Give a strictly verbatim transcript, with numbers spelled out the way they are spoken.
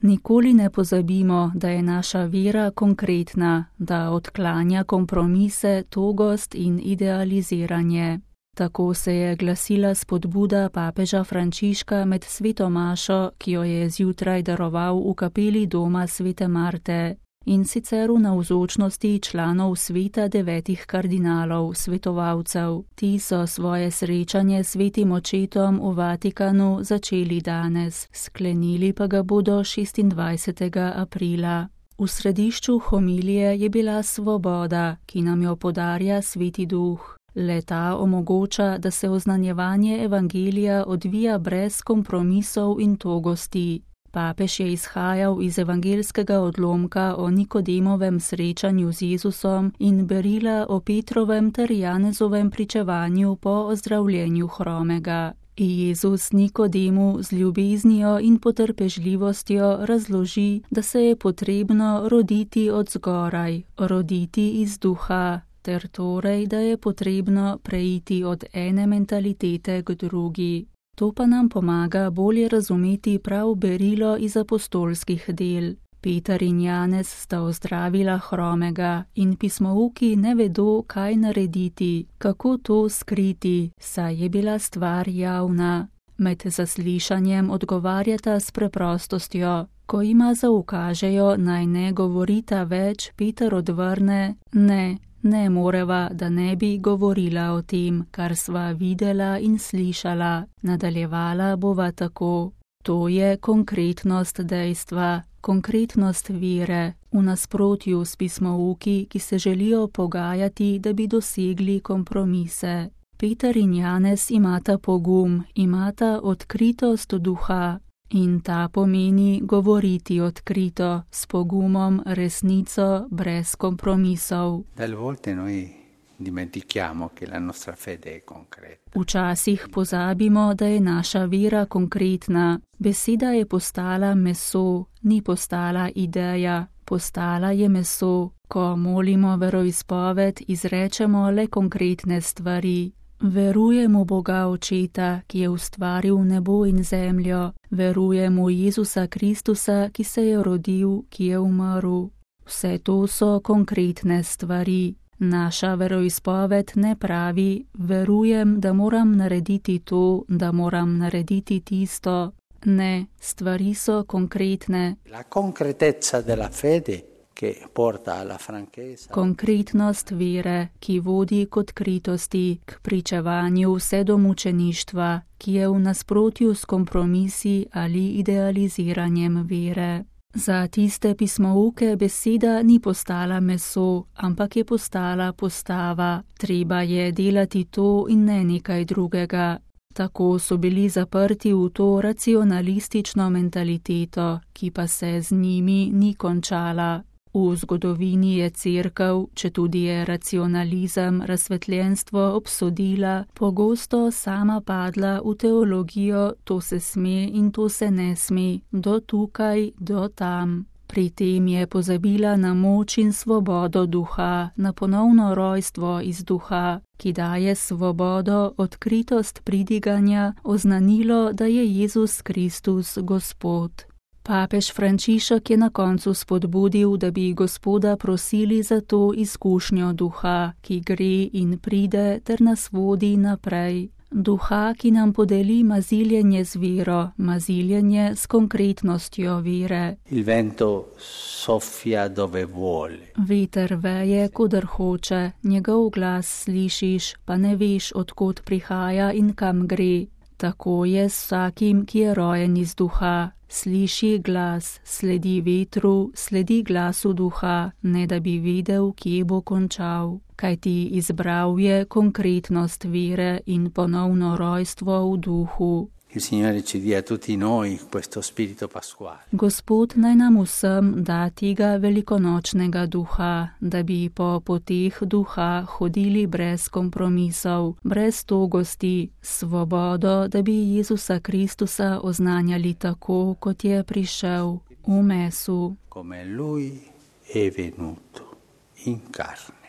Nikoli ne pozabimo, da je naša vera konkretna, da odklanja kompromise, togost in idealiziranje. Tako se je glasila spodbuda papeža Frančiška med sveto mašo, ki jo je zjutraj daroval v kapeli doma svete Marte, in sicer v navzočnosti članov sveta devetih kardinalov, svetovalcev. Ti so svoje srečanje s svetim očetom v Vatikanu začeli danes, sklenili pa ga bodo šestindvajsetega aprila. V središču homilije je bila svoboda, ki nam jo podarja sveti duh. Le-ta omogoča, da se oznanjevanje evangelija odvija brez kompromisov in togosti. Papež je izhajal iz evangelskega odlomka o Nikodemovem srečanju z Jezusom in berila o Petrovem ter Janezovem pričevanju po ozdravljenju hromega. Jezus Nikodemu z ljubeznijo in potrpežljivostjo razloži, da se je potrebno roditi od zgoraj, roditi iz duha, ter torej, da je potrebno preiti od ene mentalitete k drugi. To pa nam pomaga bolje razumeti prav berilo iz apostolskih del. Peter in Janez sta ozdravila hromega in pismouki ne vedo, kaj narediti, kako to skriti, saj je bila stvar javna. Med zaslišanjem odgovarjata s preprostostjo. Ko jima zaukažejo, naj ne govorita več, Peter odvrne: ne, ne moreva, da ne bi govorila o tem, kar sva videla in slišala. Nadaljevala bova tako. To je konkretnost dejstva, konkretnost vere, v nasprotju s pismouki, ki se želijo pogajati, da bi dosegli kompromise. Peter in Janez imata pogum, imata odkritost duha. In ta pomeni govoriti odkrito, s pogumom, resnico, brez kompromisov. Včasih pozabimo, da je naša vera konkretna. Beseda je postala meso, ni postala ideja, postala je meso. Ko molimo veroizpoved, izrečemo le konkretne stvari. Verujem v Boga Očeta, ki je ustvaril nebo in zemljo. Verujem v Jezusa Kristusa, ki se je rodil, ki je umrl. Vse to so konkretne stvari. Naša veroizpoved ne pravi: verujem, da moram narediti to, da moram narediti tisto. Ne, stvari so konkretne. La concretezza della fede che porta alla franchezza. Konkretnost vere, ki vodi k odkritosti, k pričevanju vse do mučeništva, ki je v nasprotju s kompromisi ali idealiziranjem vere. Za tiste pismouke beseda ni postala meso, ampak je postala postava. Treba je delati to in ne nekaj drugega. Tako so bili zaprti v to racionalistično mentaliteto, ki pa se z njimi ni končala. V zgodovini je cerkev, četudi je racionalizem, razsvetljenstvo obsodila, pogosto sama padla v teologijo: to se sme in to se ne sme, do tukaj, do tam. Pri tem je pozabila na moč in svobodo duha, na ponovno rojstvo iz duha, ki daje svobodo, odkritost pridiganja, oznanilo, da je Jezus Kristus Gospod. Papež Frančišek je na koncu spodbudil, da bi Gospoda prosili za to izkušnjo duha, ki gre in pride ter nas vodi naprej. Duha, ki nam podeli maziljenje z vero, maziljenje s konkretnostjo vere. Il vento soffia dove vuole. Veter veje, kodar hoče, njegov glas slišiš, pa ne veš, od kod prihaja in kam gre. Tako je s vsakim, ki je rojen iz duha. Sliši glas, sledi vetru, sledi glasu duha, ne da bi vedel, kje bo končal. Kajti izbral je konkretnost vere in ponovno rojstvo v duhu. Il Signore ci dia a tutti noi questo spirito pasquale. Gospod naj nam vsem da tega velikonočnega duha, da bi po poteh duha hodili brez kompromisov, brez togosti, svobodo, da bi Jezusa Kristusa oznanjali tako, kot je prišel, v mesu. Come lui è venuto in carne.